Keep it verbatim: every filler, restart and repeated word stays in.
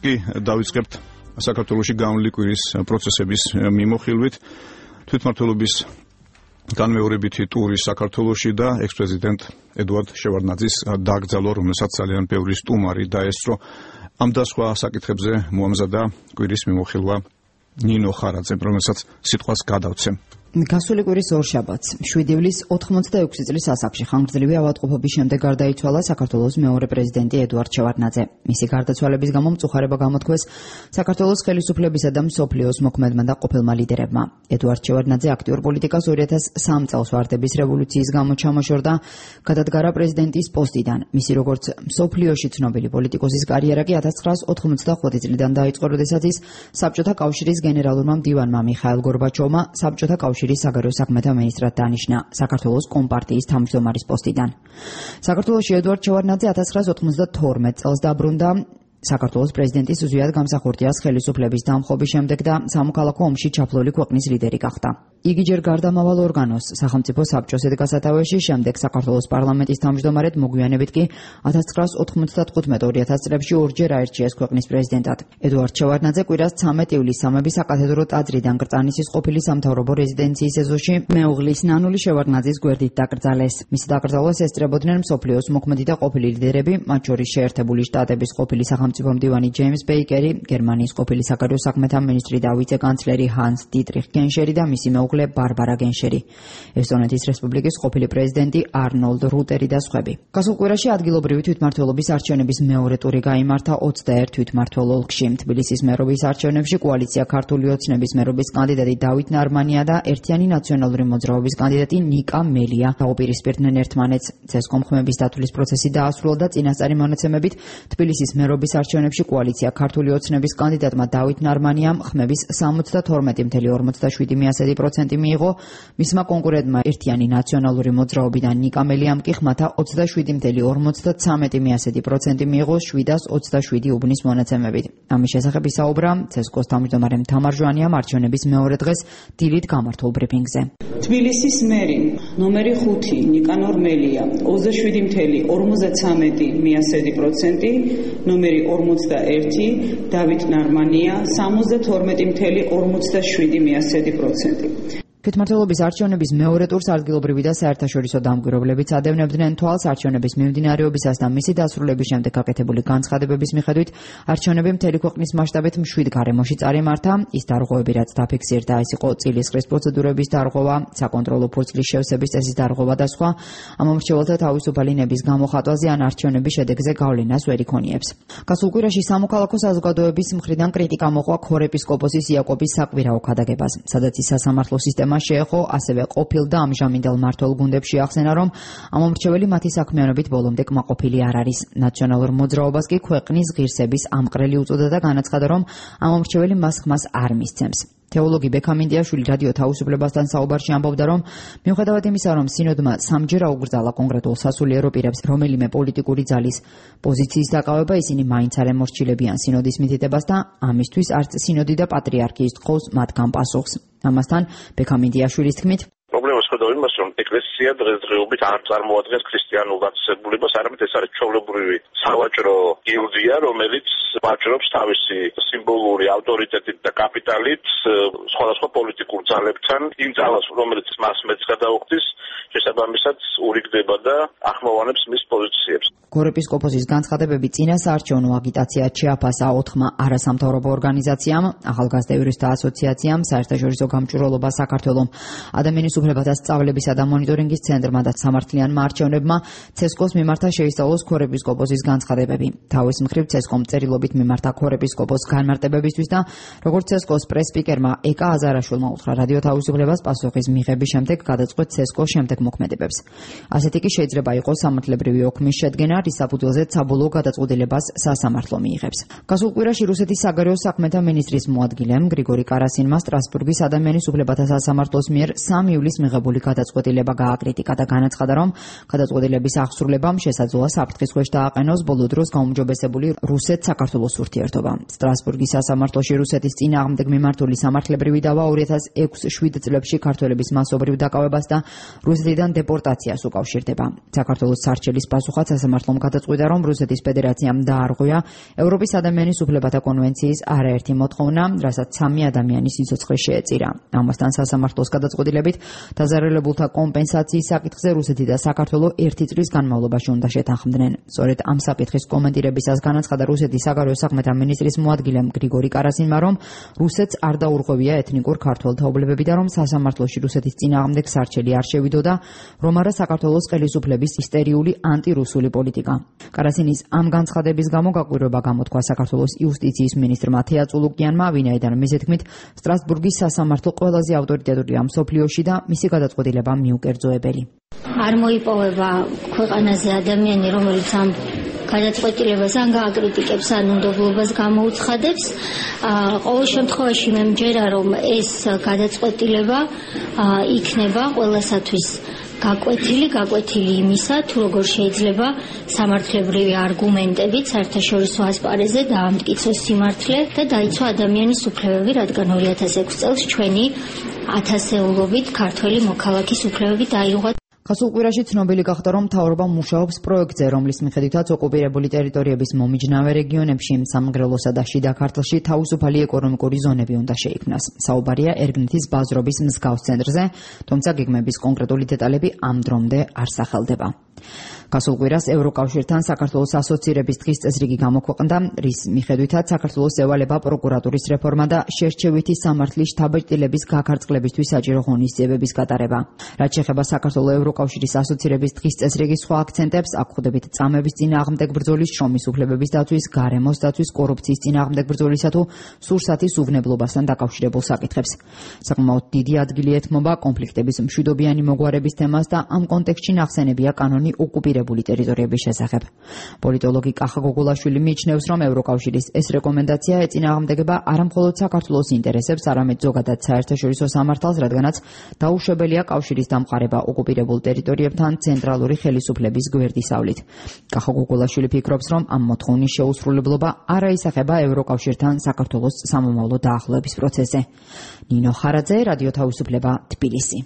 კი დავიწყებთ საქართველოში განვლილი კვირის პროცესების მიმოხილვით თვითმმართველობის განმეორებითი ტური საქართველოში და ექს-პრეზიდენტ ედუარდ შევარდნაძის დაკრძალვა, რომელსაც ძალიან ბევრი სტუმარი დაესწრო. ამ და სხვა საკითხებზე მოამზადა კვირის მიმოხილვა ნინო ხარაძემ, რომელსაც სიტყვას გადავცემ. გასული კვირის ორშაბათს, შვიდი ივლისს ოცდაექვსი წლის ასაკში ხანგრძლივი ავადმყოფობის შემდეგ გარდაიცვალა საქართველოს მეორე პრეზიდენტი ედუარდ შევარდნაძე. მისი გარდაცვალების გამო მწუხარება გამოთქვეს საქართველოს ხელისუფლებისა და მსოფლიოს მოქმედმა და ყოფილმა ლიდერებმა. ედუარდ შევარდნაძე აქტიურ პოლიტიკას ორი ათას სამ წელს ვარდების რევოლუციის გამო ჩამოშორდა, გადადგარა პრეზიდენტის პოსტიდან. მისი როგორც მსოფლიოში ცნობილი პოლიტიკოსის კარიერა კი ათას ცხრაასი ოთხმოცდახუთი წლიდან დაიწყო, როდესაც ის საბჭოთა კავშირის გენერალურმა მდივანმა მიხაილ გორბაჩოვმა საბჭოთა კავშირის საგარეო საქმეთა მინისტრად დანიშნა საქართველოს კომპარტიის თავმჯდომარის პოსტიდან. საქართველოში ედუარდ შევარდნაძე ათას ცხრაასი ოცდათორმეტ წელს დაბრუნდა. საქართველოს პრეზიდენტის ზვიად გამსახურდიას ხელისუფლების დამხობის შემდეგ და სამოქალაქო ომში ჩაფლული ქვეყნის ლიდერი გახდა. იგი ჯერ გარდამავალ ორგანოს სახელმწიფო საბჭოს ედგა სათავეში, შემდეგ საქართველოს პარლამენტის თავმჯდომარედ, მოგვიანებით კი ათას ცხრაასი ოთხმოცდათხუთმეტ ორი ათას წლებში ორჯერ აირჩიეს ქვეყნის პრეზიდენტად. ედუარდ შევარდნაძე კვირას ცამეტ ივლისს სამების საკათედრო ტაძრიდან კრწანისის ყოფილი სამთავრობო რეზიდენციის ეზოში მეუღლის ნანული შევარდნაძის გვერდით დაკრძალეს. მისი დაკრძალვას ესწრებოდნენ მსოფლიოს მოქმედი და ყოფილი ლიდერები, მათ შორის შეერთებული შტატების ყოფილი სახელმწიფო მდივანი ჯეიმს ბეიკერი, გერმანიის ყოფილი საგარეო საქმეთა მინისტრი და ვიცე-კანცლერი ჰანს დიტრიხ გენშერი და მისი მეუღლე ბარბარა გენშერი, ესტონეთის რესპუბლიკის ყოფილი პრეზიდენტი არნოლდ რუტერი და სხვები. გასულ კვირაში ადგილობრივი თვითმმართველობის არჩევნების მეორე ტური გაიმართა ოცდაერთ თვითმმართველ ოლქში. თბილისის მერობის არჩევნებში კოალიცია ქართული ოცნების მერობის კანდიდატი დავით ნარმანია და ერთიანი ნაციონალური მოძრაობის კანდიდატი ნიკა მელია დაუპირისპირდნენ ერთმანეთს. ცესკომ ხმების დათვლის პროცესი დაასრულა და წინასწარი მონაცემებით თბილისის მერობის არჩევნებში კოალიცია ქართული ოცნების კანდიდატმა დავით ნარმანიამ ხმების სამოცდათორმეტი წამსული ორმოცდაშვიდი პროცენტი მიიღო, მისმა კონკურენტმა ერთიანი ნაციონალური მოძრაობიდან ნიკა მელიამ კი ხმათა ოცდაშვიდი ორმოცდათვრამეტი პროცენტი მიიღო შვიდას ოცდაშვიდი უბნის მონაცემებით. ამის შესახებ ისაუბრა ცესკოს თავმჯდომარე თამარ ჟვანიამ არჩევნების მეორე დღეს დილით გამართულ ბრიფინგზე. თბილისის მერი ნომერი ხუთი ნიკანორ მელია ოცდაშვიდი ორმოცდათვრამეტი პროცენტი, ნომერი ორმოცდაერთი დავით ნარმანია სამოცდათორმეტი ორმოცდაშვიდი პროცენტი. თვითმმართველობის არჩევნების მეორე ტურს ადგილობრივი და საერთაშორისო დამკვირვებლებიც ადევნებდნენ თვალს არჩევნების მიმდინარეობისას და მისი დასრულების შემდეგ გაკეთებული განცხადებების მიხედვით არჩევნები მთელი ქვეყნის მასშტაბით მშვიდ გარემოში წარიმართა. ის დარღვევები, რაც დაფიქსირდა, ეს იყო წილისყრის პროცედურების დარღვევა, საკონტროლო ფურცლის შევსების წესის დარღვევა და სხვა. ამ მომრჩეველთა თავისუფალი ნების გამოხატვაზე ან არჩევნების შედეგზე გავლენას ვერ იქონიებს. გასულ კვირაში სამოქალაქო საზოგადოების მხრიდან კრიტიკა მოყვა ქორეპისკოპოსის იაკობის საკვირაო ქადაგებას, სადაც ის სასამართლო სისტემა შეეხო, ასევე ყოფილ და ამჟამინდელ მმართველ გუნდებს შეახსენა, რომ ამომრჩეველი მათი საქმიანობით ბოლომდე კმაყოფილი არ არის. ნაციონალურ მოძრაობას კი ქვეყნის ღირსების ამყრელი უწოდა და განაცხადა, რომ ამომრჩეველი მას ხმას არ მისცემს. თეოლოგი ბექამინდიაშვილი რადიო თავისუფლებასთან საუბარში ამბობდა, რომ მიუხედავად იმისა, რომ სინოდმა სამჯერ აუგრძალა კონკრეტულ სასულიერო პირებს რომელიმე პოლიტიკური ძალის პოზიციის დაკავება, ისინი მაინც არ ემორჩილებიან სინოდის მითითებას და ამისთვის არც სინოდი და პატრიარქი ისთხოვს მათგან პასუხს. ამასთან ბექამინდიაშვილის თქმით, პრობლემას ხედავ იმას, რომ ეკლესია დღესდღეობით არ წარმოადგენს ქრისტიანულ დაწესებულებას, არამედ ეს არის ჩვეულებრივი სავაჭრო გილდია, რომელიც ვაჭრობს თავისი სიმბოლური ავტორიტეტით და კაპიტალით სხვადასხვა პოლიტიკურ ძალებთან, იმ ძალას, რომელიც მას მეც გადაუხდის, შესაბამისად ურიგდება და ახმოვანებს მის პოზიციებს. ქორეპისკოპოსის განცხადებები წინა საარჩევნო აგიტაციად შეაფასა ოთხმა არასამთავრობო ორგანიზაციამ, ახალგაზრდა იურისტთა ასოციაციამ, საერთაშორისო გამჭვირვალობა საქართველომ, ადამიანის უფლებათა სწავლებისა და მონიტორინგის ცენტრმა და სამართლიანმა არჩევნებმა ცესკოს მიმართა შეისწავლოს ქორეპისკოპოსის განცხადებები. თავის მხრივ ცესკომ წერილობით მიმართა ქორეპისკოპოს განმარტებებისთვის და როგორც ცესკოს პრეს-სპიკერმა ეკა აზარაშვილმა უთხრა რადიო თავისუფლებას პასუხის მიღების შემდეგ გადაწყვეტ ცესკოს შემდეგ მოქმედებებს. ასეთი კი შეიძლება იყოს სამართლებრივი ოქმის შედგენა, რის საფუძველზეც საბოლოო გადაწყვეტილებას სასამართლო მიიღებს. გასულ კვირაში რუსეთის საგარეო საქმეთა მინისტრის მოადგილემ გრიგორი კარასინმა სტრასბურგის ადამიანის უფლებათა სასამართლოს მიერ სამი ივლისს მიღებული გადაწყვეტილება გააკრიტიკა და განაცხადა, რომ გადაწყვეტილების აღსრულებამ შესაძლოა საფრთხის ქვეშ დააყენოს ბოლო დროს გაუმჯობესებული რუსეთ-საქართველოს ურთიერთობა. სტრასბურგის სასამართლოში რუსეთის წინააღმდეგ მიმართული სამართლებრივი დავა ორი ათას შვიდ წლებში ქართველების მასობრივ დაკავებას და რუსეთიდან დეპორტაციას უკავშირდება. საქართველოს სარჩელის პასუხად სასამართლომ გადაწყვიტა, რომ რუსეთის ფედერაციამ დაარღვია ევროპის ადამიანის უფლებათა კონვენციის არაერთი მოთხოვნა, რასაც სამი ადამიანის სიცოცხლე შეეწირა. ამასთან სასამართლოს გადაწყვეტილებით დაზარალებულთა კომპენსაციის საკითხზე რუსეთი და საქართველო ერთი წლის განმავლობაში უნდა შეთანხმდნენ. სწორედ ამ საკითხის კომენტირებისას განაცხადა რუსეთის საგარეო საქმეთა მინისტრის მოადგილემ გრიგორი კარასინმა, რომ რუსეთს არ დაურღვევია ეთნიკურ ქართველთა უბლებები და რომ სასამართლოში რუსეთის წინააღმდეგ სარჩელი არ შევიდოდა, რომ არა საქართველოს ხელისუფლების ისტერიული ანტირუსული პოლიტიკა. კარასინის ამ განცხადების გამო გაკვირვება გამოთქვა საქართველოს იუსტიციის მინისტრმა თეა წულუკიანმა, ვინაიდან მისის თქმით სტრასბურგის სასამართლო ყველაზე ავტორიტეტურია მსოფლიოში და მისი გადაწყვეტილება მიუკერძოებელი. არ მოიპოვება ქვეყანაზე ადამიანი, რომელიც ამ გადაწყვეტილებას ან გააკრიტიკებს, ან უნდობლობას გამოუცხადებს. ყოველ შემთხვევაში მე მჯერა, რომ ეს გადაწყვეტილება იქნება ყველასათვის გაკვეთილი, გაკვეთილი იმისა, თუ როგორ შეიძლება სამართლებრივი არგუმენტებით საერთაშორისო ასპარეზზე დაამტკიცოს სიმართლე და დაიცვა ადამიანის უფლებები, რადგან ორი ათას ექვსი წელს ჩვენი ათასეულობით ქართველი მოქალაქის უფლებები დაიღვა. გასულ კვირაში ცნობილი გახდა, რომ მთავრობა მუშაობს პროექტზე, რომლის მიხედვითაც ოკუპირებული ტერიტორიების მომიჯნავე რეგიონებში, სამგრელოსა და შიდა ქართლში თავისუფალი ეკონომიკური ზონები უნდა შეიქმნას. საუბარია ერგნითის ბაზრობის მსგავს ცენტრზე, თუმცა გეგმების კონკრეტული დეტალები ამ დრომდე არ სახელდება. გასულ კვირას ევროკავშირთან საქართველოს ასოცირების დღის წესრიგი გამოქვეყნდა, რის მიხედვითაც საქართველოს ევალება პროკურატურის რეფორმა და შერჩევითი სამართლის შთაბეჭდილების გაქარწყლებისთვის საჭირო ღონისძიებების გატარება. რაც შეეხება საქართველოს ევროკავშირის ასოცირების დღის წესრიგის სხვა აქცენტებს, აქ ხვდებით წამების წინააღმდეგ ბრძოლის, შრომის უფლებების დაცვის, გარემოს დაცვის, კორუფციის წინააღმდეგ ბრძოლისა თუ სურსათის უვნებლობასთან დაკავშირებულ საკითხებს. საკმაოდ დიდი ადგილი ეთმობა კონფლიქტების მშვიდობიანი მოგვარების თემას და ამ კონტექსტში ნახსენებია კანონი ოკუპირებული ტერიტორიების შესახებ. პოლიტოლოგი კახა გოგოლაშვილი მიიჩნევს, რომ ევროკავშირის ეს რეკომენდაცია ეწინააღმდეგება არამხოლოდ საქართველოს ინტერესებს, არამედ ზოგადად საერთაშორისო სამართალს, რადგანაც დაუშვებელია კავშირის დამყარება ოკუპირებულ ტერიტორიებთან ცენტრალური ხელისუფლების გვერდისავლით. კახა გოგოლაშვილი ფიქრობს, რომ ამ მოთხოვნის შეუსრულებლობა არ აისახება ევროკავშირთან საქართველოს სამომავლო დაახლოების პროცესზე. ნინო ხარაძე, რადიო თავისუფლება, თბილისი.